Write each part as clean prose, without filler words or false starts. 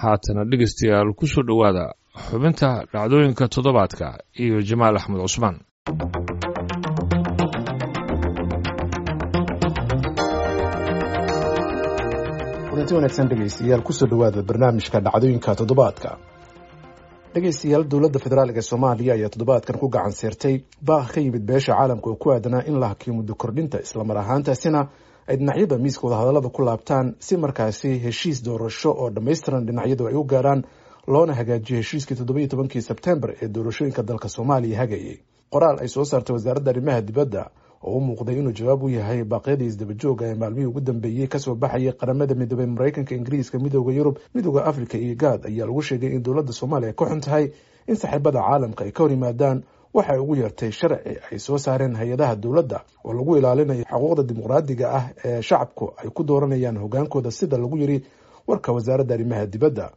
Haatana dhegeystayaal, ku soo dhowaada xubinta dhacdooyinka toddobaadka iyo Jamaal Axmed Cusmaan. Kulanti wanaagsan dhegeystayaal, kusoo dhowaada barnaamijka dhacdooyinka toddobaadka. Dhegeystayaal, dowladda federaalka Soomaaliya ayaa toddobaadkan ku gacan seertay baaq ka yimid beesha caalamka oo ku aadanaa in la hakiyo muddo kordhinta, islamar ahaantaasina ay dhinacyada miiska wadahadallada ku laabtaan si markaasi heshiis doorasho oo dhammaystiran dhinacyadu ay u gaaraan, loona hagaajiyo heshiiskii 17-kii Sebtembar ee doorashooyinka dalka Soomaaliya hagayay. Qoraal ay soo saartay wasaaradda arrimaha dibadda oo u muuqday inuu jawaab u yahay baaqyadii isdabajooga ee maalmihii ugu dambeeyey kasoo baxayay Qaramada Midoobay, Maraykanka, Ingiriiska, Midooda Yurub, Midooda Afrika iyo Gaad, ayaa lagu sheegay in dowladda Soomaaliya ka xun tahay in saaxiibada caalamka ay ka hor yimaadaan waxay ugu yeertay sharci ay soo saareen hay-adaha dowladda oo lagu ilaalinayo xuquuqda dimuqraadiga ah ee shacabku ay ku dooranayaan hogaankooda, sida lagu yiri warka wasaaradda arrimaha dibadda.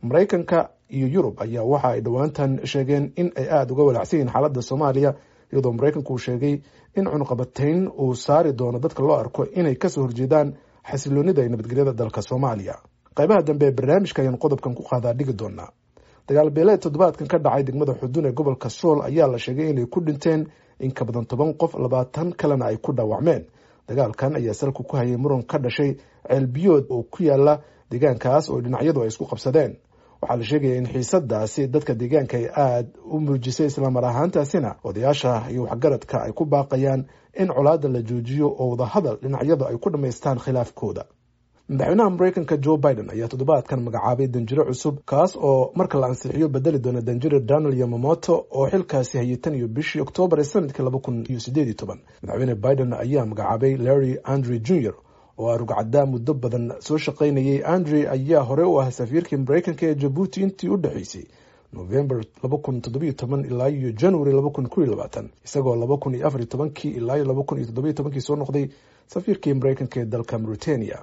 Maraykanka iyo Yurub ayaa waxa ay dhowaantan sheegeen in ay aada uga walaacsan yihiin xaaladda Soomaaliya, iyadoo Maraykanku uu sheegay in cunuqabatayn uu saari doono dadka loo arko inay kasoo horjeedaan xasiloonida iyo nabadgelyada dalka Soomaaliya. Qaybaha dambe ee barnaamijka ayaan qodobkan ku qaadaa dhigi doonaa. Dagaal beeleed toddobaadkan ka dhacay degmada Xudun ee gobolka Sool ayaa la sheegay inay ku dhinteen in ka badan 10 qof, 20 kalena ay ku dhaawacmeen. Dagaalkan ayaa salku ku hayay muran ka dhashay ceelbiyood oo ku yaala deegaankaas oo dhinacyadu ay isku qabsadeen. Waxaa la sheegaya in xiisadaasi dadka deegaanka ay aada u muujisay, islamar ahaantaasina odayaasha iyo waxgaradka ay ku baaqayaan in colaadda la joojiyo oo wadahadal dhinacyadu ay ku dhammaystaan khilaafkooda. Madaxweynaha Mareykanka Joe Biden ayaa toddobaadkan magacaabay danjiro cusub, kaas oo marka la ansixiyo bedeli doona danjiro Donald Yamamoto oo xilkaasi hayay tan iyo bishii Oktoobar ee sanadkii 2018. Madaxweyne Biden ayaa magacaabay Larry Andre Jr oo arugcaddaa muddo badan soo shaqaynayay. Andre ayaa hore u ah safiirkii Mareykanka ee Jabuuti intii u dhexeysay November 2017 ilaa iyo January 2021, isagoo 2014-kii ilaa iyo 2017-kii soo noqday safiirkii Mareykanka ee dalka Mauritania.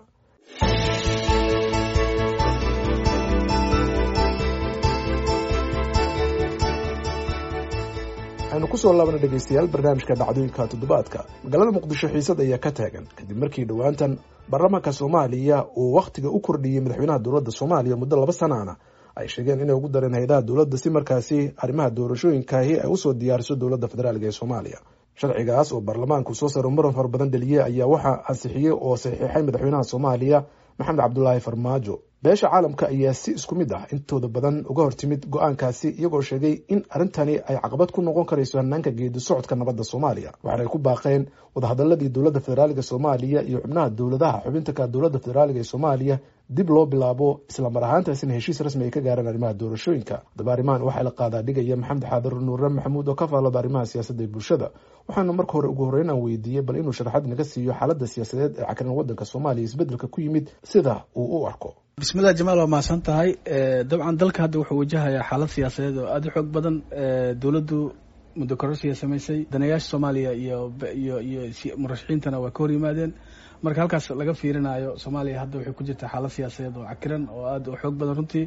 Aynu kusoo laabana dhegeystayaal barnaamijka dhacdooyinka toddobaadka. Magaalada Muqdisho xiisad ayaa ka taagan kadib markii dhowaantan baarlamaanka Soomaaliya uu wakhtiga u kordhiyey madaxweynaha dowladda Soomaaliya muddo 2 sanaana ay sheegeen inay ugu dareen hay-adaha dowladda si markaasi arrimaha doorashooyinkaahi ay usoo diyaariso dowladda federaalk ee Soomaaliya. Sharcigaas oo baarlamaanku soo saro muran fara badan dheliyey ayaa waxaa ansixiyey oo saxiixay madaxweynaha Soomaaliya Maxamed Cabdulaahi Farmaajo. Beesha caalamka ayaa si isku mid ah intooda badan uga hortimid go-aankaasi, iyagoo sheegay in arrintani ay caqabad ku noqon karayso hanaanka geedi socodka nabadda Soomaaliya. Waxaana ay ku baaqeen wadahadaladii dowladda federaaliga Soomaaliya iyo xubnaha dowladaha xubinta ka dowladda federaaliga ee Soomaaliya dib loo bilaabo, islamar ahaantaasina heshiis rasmi ay ka gaaraan arrimaha doorashooyinka. Haddaba arrimahan waxaa la qaadaa dhigaya Maxamed Xaadir Nuure Maxamuud oo ka faallada arrimaha siyaasadda ee bulshada. Waxaana marka hore ugu horreyn aan weydiiyey bal inuu sharaxad naga siiyo xaaladda siyaasadeed ee cakran waddanka Soomaaliya, isbeddelka ku yimid sida uu u arko. Bismillah Jamaal, waa mahadsan tahay. Dabcan dalka hadda wuxuu wajahayaa xaalad siyaasadeed oo aada u xoog badan. Dowladdu muddo kororsiya samaysay, danayaasha Soomaaliya iyo murashaxiintana waa ka hor yimaadeen. Marka halkaas laga fiirinayo, Soomaaliya hadda waxay ku jirtaa xaalad siyaasadeed oo cakiran oo aada u xoog badan runtii.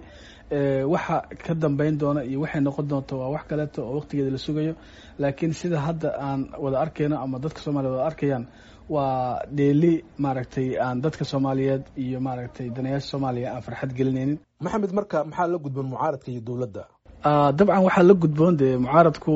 Waxa ka dambeyn doona iyo waxay noqon doonto waa wax kaleeto oo waqtigeeda la sugayo, laakiin sida hadda aan wada arkayno ama dadka Soomaliya wada arkayaan waa dheeli maaragtay aan dadka Soomaaliyeed iyo maaragtay danayaasha Soomaaliya aan farxad gelinaynin. Maxamed, marka maxaa la gudboon mucaaradka iyo dowladda? Dabcan waxaa la gudboon dee mucaaradku,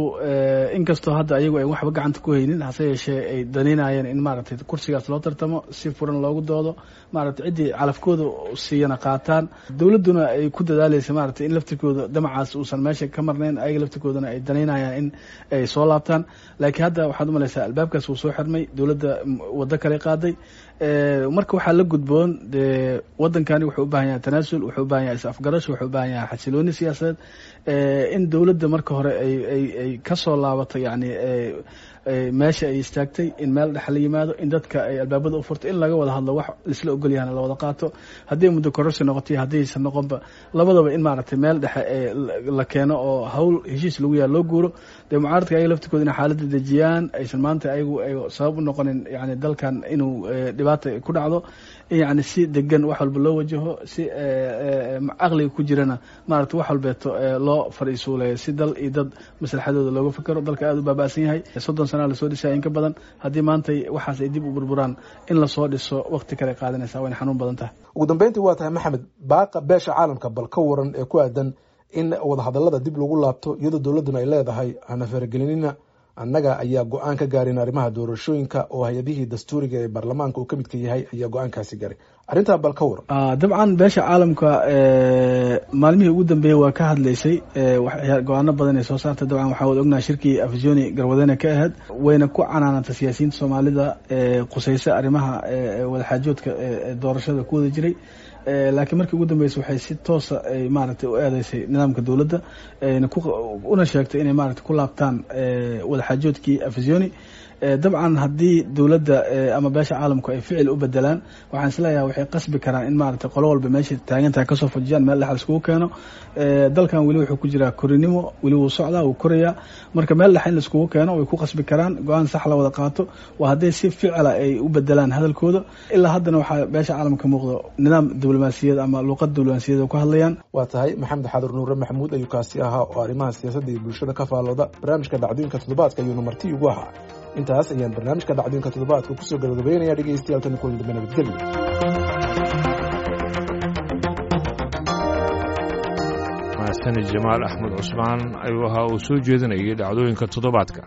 inkastoo hadda ayagu ay waxba gacanta ku haynin, hase yeeshee ay danaynayeen in maaragtay kursigaas loo tartamo, si furan loogu doodo, maaragtay ciddii calafkooda siiyana qaataan. Dowladduna ay ku dadaaleysa maaragtay in laftirkooda damacaas uusan meesha ka marnayn, ayaga laftirkoodana ay danaynayaan in ay soo laabtaan. Laakiin hadda waxaad umalaysaa albaabkaas wuu soo xirmay, dowladda waddo kale qaaday. Marka waxaa la gudboon dee waddankani wuxuu u baahan yahay tanaasul, wuxuu u baahan yahay is-afgarasho, wuxuu u baahan yahay xasilooni siyaasadeed, in dowladda marka hore ay ka soo laabato yacni meesha ay istaagtay, in meel dhex la yimaado, in dadka ay albaabada u furto, in laga wada hadlo, wax laisla ogol yahana la wada qaato. Haddii muddo kororsi noqoto iyo haddaysan noqonba, labadaba in maaragtay meel dhexe la keeno oo hawl heshiis lagu yaha loo guuro. Dee mucaaradka ayaga laftirkooda inay xaaladda dejiyaan, aysan maanta ayagu ay sabab u noqonin yani dalkan inuu dhibaata ku dhacdo, in yani si degan wax walba loo wajaho, si caqliga ku jirana maaragtay wax walbeeto loo fariisuuleeyo, si dal iyo dad maslaxadooda looga fikero. Dalka aada u baaba'san yahay 30 sana lasoo dhisaya in ka badan. Haddii maanta waxaas ay dib u burburaan, in lasoo dhiso waqti kale qaadanaysa, wayna xanuun badan tahay. Ugu dambeyntii, waa tahay Maxamed, baaqa beesha caalamka bal ka waran ee ku aadan in wadahadalada dib lagu laabto, iyadoo dowladduna ay leedahay hana faragelinina, annaga ayaa go-aan ka gaarin arrimaha doorashooyinka oo hay-adihii dastuuriga ee baarlamaanka uu ka midka yahay ayaa go-aankaasi gaaray, arrintaa bal ka waran? Dabcan beesha caalamka maalmihii ugu dambeeyey waa ka hadlaysay, go-aano badan ay soo saartay. Dabcan waxaa wada ognahay shirkii Afisoni garwadene ka ahayd, wayna ku canaanantay siyaasiyiinta Soomaalida qusaysa arrimaha wadaxaajoodka doorashada ku wada jiray. Laakiin markii ugu dambeysay waxay si toosa ay maaragtay u eedeysay nidaamka dowladda, una sheegtay inay maaragtay ku laabtaan wadaxaajoodkii Afisoni. Dabcan haddii dowladda ama beesha caalamku ay ficil u bedelaan, waxaan isleeyahay waxay qasbi karaan in maaragtay qolo walba meesha taagantaha kasoo fujiyaan, meel dhex laiskugu keeno. Dalkan weli wuxuu ku jiraa korinimo, weli wuu socdaa, wuu korayaa. Marka meel dhex in laiskugu keeno way ku qasbi karaan, go-aan sax la wada qaato, waa hadday si ficila ay u bedelaan hadalkooda. Ilaa haddana waxaa beesha caalamka muuqdo nidaam diblomaasiyad ama luuqad diblomaasiyad ku hadlayaan. Waa tahay, Maxamed Xaadir Nuure Maxamuud ayuu kaasi ahaa oo arrimaha siyaasadda iyo bulshada ka faallooda. Barnaamijka dhacdooyinka toddobaadka ayuuna marti ugu ahaa. Intaas ayaan barnaamijka dhacdooyinka toddobaadka kusoo gabagabeynaya. Dhegeystayaal, tani kulan dambe, nabadgelyo. Mahadsanid Jamaal Axmed Cusmaan ayuu ahaa uu soo jeedinayay dhacdooyinka toddobaadka.